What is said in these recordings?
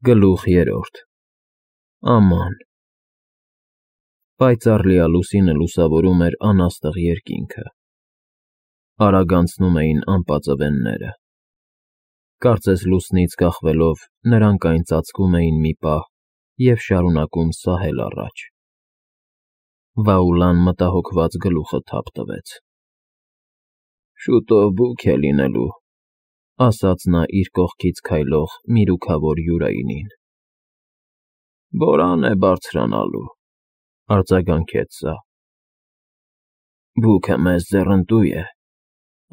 Գլուխ 3 Աման Պայծառ լիալուսինը լուսավորում էր անաստղ երկինքը, արագ անցնում էին անպածվենները, կարծես լուսնից կախվելով նրանք այն ծածկում էին մի պահ և շարունակում սահել առաջ, Վաուլան մտահոգված գլուխը թափ տվեց. Շուտով բուք է լինելու, ասաց նա իր կողքից քայլող միրուքավոր Յուրայինին. Բորան է բարձրանալու, արձագանքեց սա. Բուքը մեզ ձեռնտու է,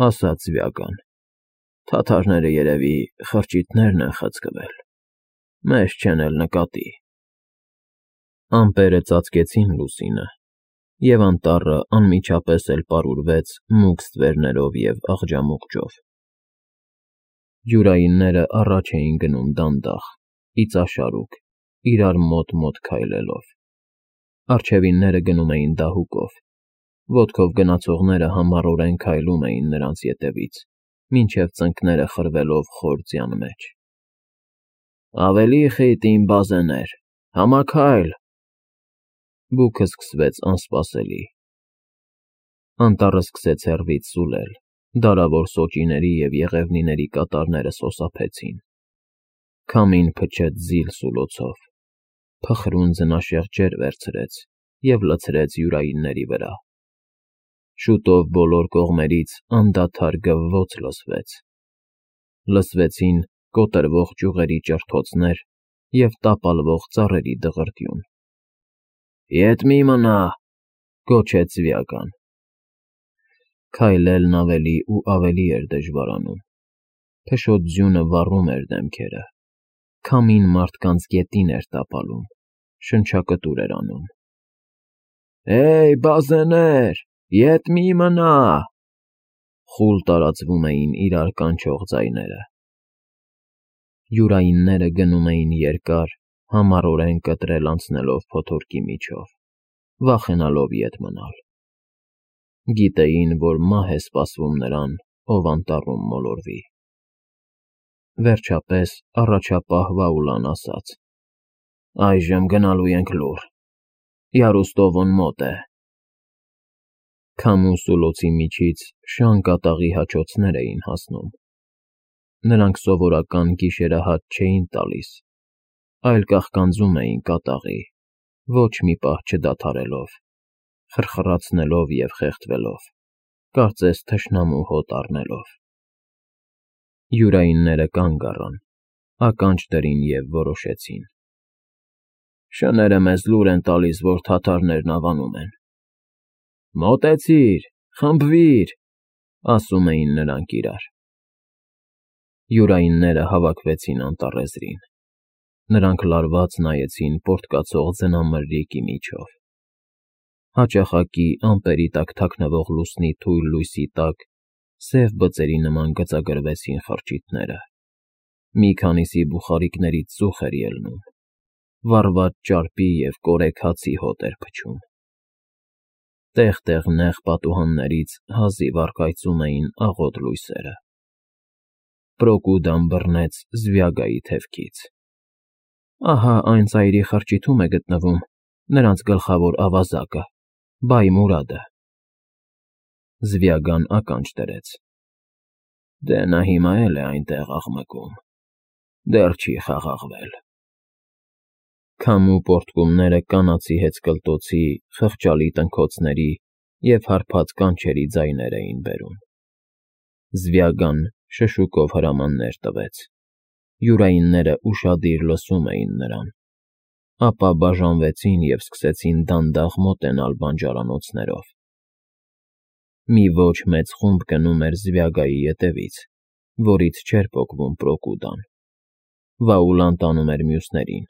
ասաց Զվյագան, թաթարները երևի խրճիթներն են խցկվել, մեզ չեն էլ նկատի. Ամպերը ծածկեցին լուսինը, և անտառը անմիջապես էլ պարուրվեց մուգ ստվերներով և աղջամուղջով. Յուրայինները առաջ էին գնում դանդաղ, իծաշարուկ, իրար մոտ-մոտ քայլելով, առջևինները գնում էին դահուկով, ոտքով գնացողները համառորեն քայլում էին նրանց ետևից, մինչև ծնկները խրվելով խոր ձյան մեջ. Ավելի խիտ, իմ բազեներ, համաքայլ… Բուքը սկսվեց անսպասելի, անտառը սկսեց հեռվից սուլել, դարավոր սոճիների և եղևնիների կատարները սոսափեցին, քամին փչեց զիլ սուլոցով, փխրուն ձնաշեղ ջեր վերցրեց և լցրեց յուրայինների վրա, շուտով բոլոր կողմերից անդադար գվվոց լսվեցին կոտրվող ճյուղերի ճռթոցներ և տապալվող ծառերի դղրդյուն. Ետ մի մնա, գոչեց Զվյագան. Քայլելն ավելի ու ավելի էր դժվարանում, փշոտ ձյունը վառում էր դեմքերը, քամին մարդկանց գետին էր տապալում, շնչակտուր էր անում. Հեյ, բազեներ, ետ մի մնա… Խուլ տարածվում էին իրար կանչող ձայները, յուրայինները գնում էին երկար, համառորեն կտրել անցնելով փոթորկի միջով, վախենալով ետ մնալ, գիտեին, որ մահ է սպասվում նրան, ով անտառում մոլորվի… Վերջապես առաջապահ Վաուլան ասաց. Այժմ գնալու ենք լուռ, Յարուստովուն մոտ է… Քամու սուլոցի միջից շան կատաղի հաչոցներ էին հասնում, նրանք սովորական գիշերահաց չէին տալիս, այլ կաղկանձում էին կատաղի, ոչ մի պահ չդադարելով, խրխրացնելով և խեղդվելով, կարծես թշնամու հոտ առնելով… Յուրայինները կանգ առան, ականջ դրին և որոշեցին. Շները մեզ լուր են տալիս, որ թաթարներն ավանում են… Մոտեցիր, խմբվիր, ասում էին նրանք իրար… Յուրայինները հավաքվեցին անտառեզրին, նրանք լարված նայեցին պոռթկացող ձնամրրիկի միջով, հաճախակի ամպերի տակ թաքնվող լուսնի թույլ լույսի տակ սև բծերի նման գծագրվեցին խրճիթները, մի քանիսի բուխարիկներից ծուխ էր ելնում, վառված ճարպի և կորեկ հացի հոտ էր փչում, տեղ֊տեղ նեղ պատուհաններից հազիվ առկայծում էին աղոտ լույսերը… Պրոկուդան բռնեց Զվյագայի թևքից. Ահա այն ծայրի խրճիթում է գտնվում նրանց գլխավոր ավազակը, Բայ Մուրադը… Զվյագան ականջ դրեց. Դե նա հիմա էլ է այնտեղ աղմկում, դեռ չի խաղաղվել… Քամու պոռթկումները կանացի հեծկլտոցի, խղճալի տնքոցների և հարբած կանչերի ձայներ էին բերում… Զվյագան շշուկով հրամաններ տվեց, յուրայինները ուշադիր լսում էին նրան, ապա բաժանվեցին և սկսեցին դանդաղ մոտենալ բանջարանոցներով… Մի ոչ մեծ խումբ գնում էր Զվյագայի ետևից, որից չէր պոկվում Պրոկուդան, Վաուլան տանում էր մյուսներին,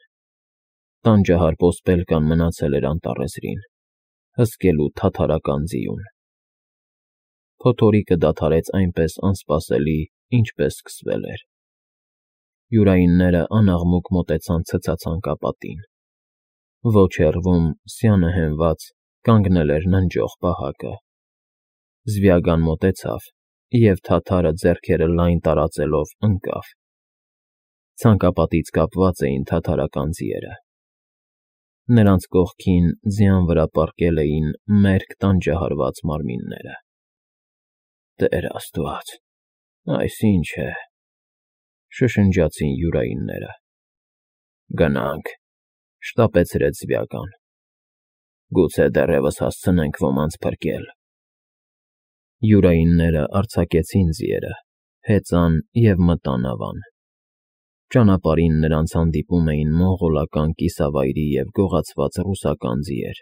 տանջահար ոսպելկան մնացել էր անտառեզրին, հսկելու թաթարական ձիուն… Փոթորիկը դադարեց այնպես անսպասելի, ինչպես սկսվել էր… Յուրայինները անաղմուկ մոտեցան ցցածանկապատին, ոչ հեռվում, սյանը հենված, կանգնել էր ննջող պահակը… Զվյագան մոտեցավ և թաթարը ձեռքերը լայն տարածելով ընկավ, Ցանկապատից կապված էին թաթարական ձիերը։ Նրանց կողքին ձյան վրա պառկել էին մերկ տանջահարված մարմինները։ Տեր Աստված, այս ինչ է, շշնջացին յուրայինները։ Գնանք, շտապեցրեց Զվյական։ Գուցե դեռևս հասցնենք ոմանց փրկել։ Յուրայինները արձակեցին ձիերը, հեծան և մտան ավան։ Ճանապարհին նրանց հանդիպում էին մոնղոլական կիսավայրի և գողացված ռուսական ձիեր։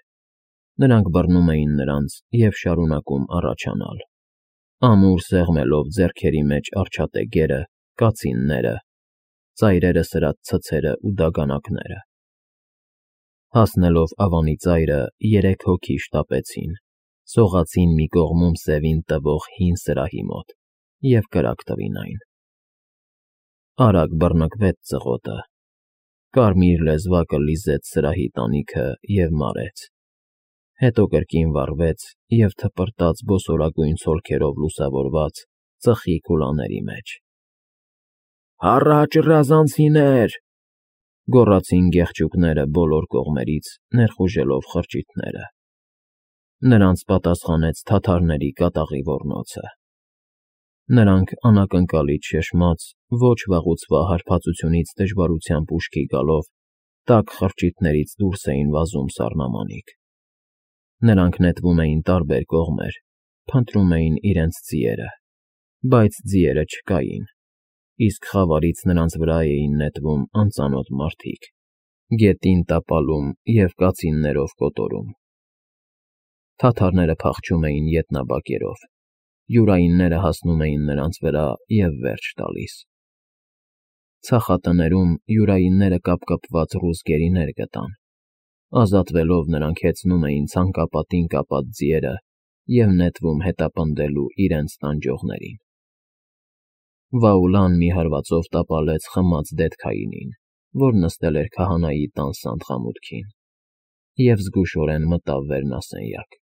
Նրանք բռնում էին նրանց և շարունակում առաջանալ, ամուր սեղմելով ձեռքերի մեջ արջատեգերը, կացինները, ծայրերը սրած ցցերը ու դագանակները։ Հասնելով ավանի ծայրը, 3 հոգի շտապեցին, սողացին մի կողմում սևին տվող հին սրահի մոտ և կրակ տվին այն։ Արագ բռնկվեց ծղոտը, կարմիր լեզվակը լիզեց սրահի տանիքը և մարեց, հետո կրկին վառվեց և թպրտաց բոսորագույն ցոլքերով լուսավորված ծխի քուլաների մեջ։ «Հառաչ, ռազանցիներ», գոռացին գեղչուկները բոլոր կողմերից, ներխուժելով խրճիթները։ Նրանց պատասխանեց թաթարների կատաղի ոռնոցը։ Նրանք անակնկալից շշմած, ոչ վաղուց հարբածությունից դժվարությամբ ուշքի գալով, տաք խրճիթներից դուրս էին վազում սառնամանիք։ Նրանք նետվում էին տարբեր կողմեր, փնտրում էին իրենց ձիերը, բայց ձիերը չկային, իսկ խավարից նրանց վրա էին նետվում անծանոթ մարդիկ, գետին տապալում և կացիններով կոտորում։ Թաթարները փախչում էին ետնաբակերով, յուրայինները հասնում էին նրանց վրա և վերջ տալիս։ Ցախատներում յուրայինները կապկպված ռուս գերիներ գտան։ Ազատվելով նրանք հեծնում էին ցանկապատին կապած ձիերը և նետվում հետապնդելու իրենց տանջողներին։ Վաուլան մի հարվածով տապալեց խմած դետքայինին, որ նստել էր քահանայի տան սանդղամուտքին, և զգուշորեն մտավ վերնասենյակ։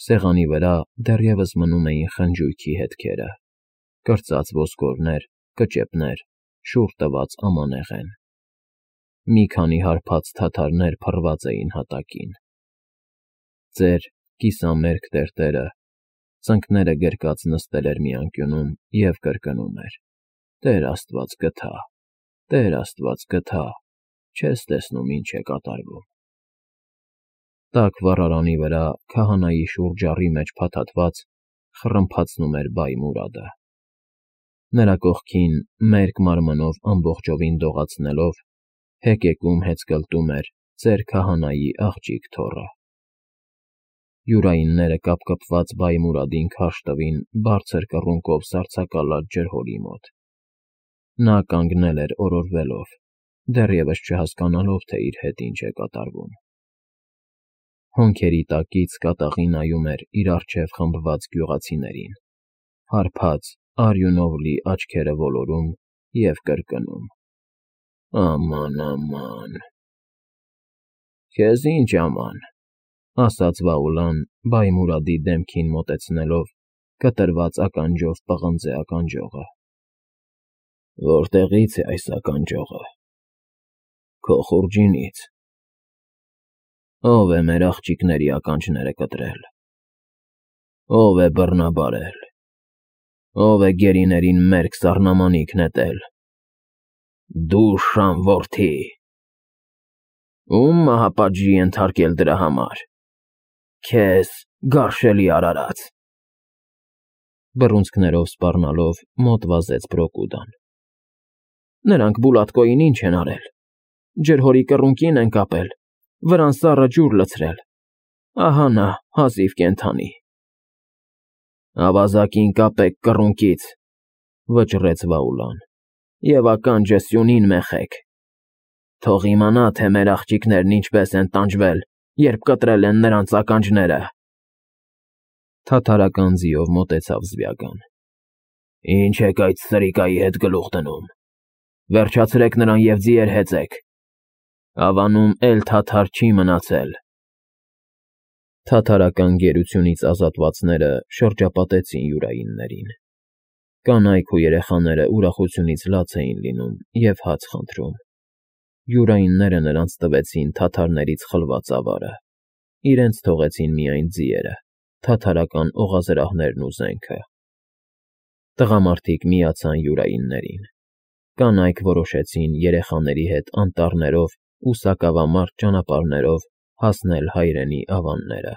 Սեղանի վրա դեռևս մնում էին խնջույքի հետքերը, կրծած ոսկորներ, կճեպներ, շուռ տված ամանեղեն։ Մի քանի հարբած թաթարներ փռված էին հատակին։ Ծեր, կիսամերկ տերտերը, ծնկները գրկած նստել էր մի անկյունում և կրկնում էր. «Տեր Աստված գթա, Տեր Աստված գթա, չես տեսնում ինչ է կատարվում»։ Տաք վառարանի վրա քահանայի շուրջառի մեջ փաթաթված խռմփացնում էր բայ Մուրադը։ Նրա կողքին, մերկ մարմնով ամբողջովին դողացնելով, հեկեկում հեծկլտում էր ծեր քահանայի աղջիկ թոռը։ Յուրայինները կապկպված բայ Մուրադին քարշ տվին բարձր կռունկով սառցակալած ջրհորի մոտ։ Նա կանգնել էր օրորվելով, դեռևս չհասկանալով, թե իր հետ ինչ է կատարվում։ Հոնքերի տակից կատաղի նայում էր իր առջև խմբված գյուղացիներին, հարբած, արյունով լի աչքերը ոլորում և կրկնում. «Աման, աման»։ «Քեզ ինչ աման», ասաց Վաուլան, բայ Մուրադի դեմքին մոտեցնելով, կտրված ականջով պղնձե ականջողը։ «Որտեղի՞ց է այս ականջողը»։ «Քո խուրջինից»։ «Ո՞վ է մեր աղջիկների ականջները կտրել։ Ո՞վ է բռնաբարել։ Ո՞վ է գերիներին մերկ սառնամանիք նետել։ Դու, շան որդի, ո՞ւմ մահապատժի ենթարկել դրա համար։ Քեզ, գարշելի արարած»։ Բռունցքներով սպառնալով մոտ վազեց Բրոկուդան։ «Նրանք Բուլատկոյին ինչ են արել։ Ջրհորի կռունկին են կապել, վրան սառը ջուր լցրել։ Ահա նա, հազիվ կենդանի»։ «Ավազակին կապեք կռունկից», վճռեց Վաուլան, «և ականջը սյունին մեխեք։ Թող իմանա, թե մեր աղջիկներն ինչպես են տանջվել, երբ կտրել են նրանց ականջները»։ Թաթարական ձիով մոտեցավ Զվյական։ «Ինչ եք այդ սրիկայի հետ գլուխ դնում։ Վերջացրեք նրան և ձիեր հեծեք։ Ավանում էլ թաթար չի մնացել»։ Թաթարական գերությունից ազատվածները շրջապատեցին յուրայիններին։ Կանայք ու երեխաները ուրախությունից լաց էին լինում և հաց խնդրում։ Յուրայինները նրանց տվեցին թաթարներից խլված ավարը, իրենց թողեցին միայն ձիերը, թաթարական օղազրահներն ու զենքը։ Տղամարդիկ միացան յուրայիններին։ Կանայք որոշեցին երեխաների հետ անտառներով ու սակավամարտ ճանապարհներով հասնել հայրենի ավանները։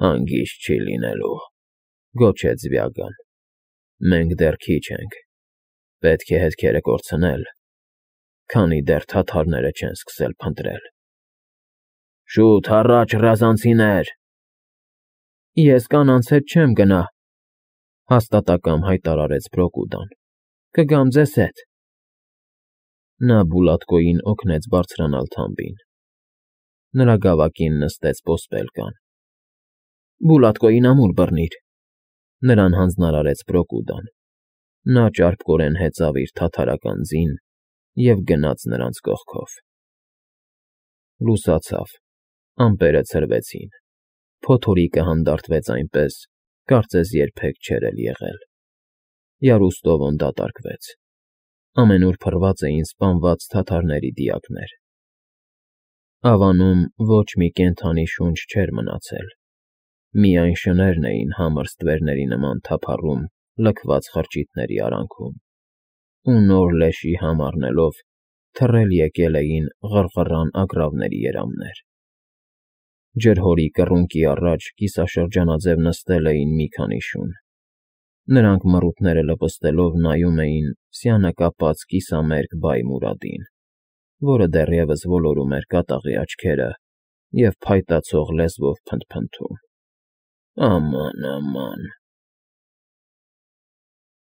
«Հանգիստ չի լինելու,֊ գոչեց Վյագան,֊ մենք դեռ քիչ ենք, պետք է հետքերը կորցնել, քանի դեռ թաթարները չեն սկսել փնտրել»։ «Շուտ առաջ, ռազանցիներ»։ «Ես կանանց հետ չեմ գնա,֊ հաստատակամ հայտարարեց Բրոկուդան,֊ կգամ ձեզ հետ»։ Նա Բուլատկոյին օգնեց բարձրանալ թամբին։ Նրա գավակին նստեց ոսպելկան։ «Բուլատկոյին ամուր բռնիր,֊ նրան հանձնարարեց Բրոկուդան։ Նա ճարպկորեն հեծավ իր թաթարական ձին և գնաց նրանց կողքով։ Լուսացավ, ամպերը ցրվեցին, փոթորիկը հանդարտվեց այնպես, կարծես երբեք չէր էլ եղել։ Յարուստովոն դատարկվեց։ Ամենուր փռված էին սպանված թաթարների դիակներ։ Ավանում ոչ մի կենդանի շունչ չէր մնացել, միայն շներն էին համր ստվերների նման թափառում լքված խրճիթների արանքում, ու նոր լեշի համ առնելով թռել եկել էին ղռղռան ագռավների երամներ։ Ջրհորի կռունկի առաջ կիսաշրջանաձև նստել էին մի քանի շուն։ Նրանք մռութները լպստելով նայում էին սյանակապած կիսամերկ բայ Մուրադին, որը դեռևս ոլորում էր կատաղի աչքերը և փայտացող լեզվով փնթփնթում. «Աման, աման,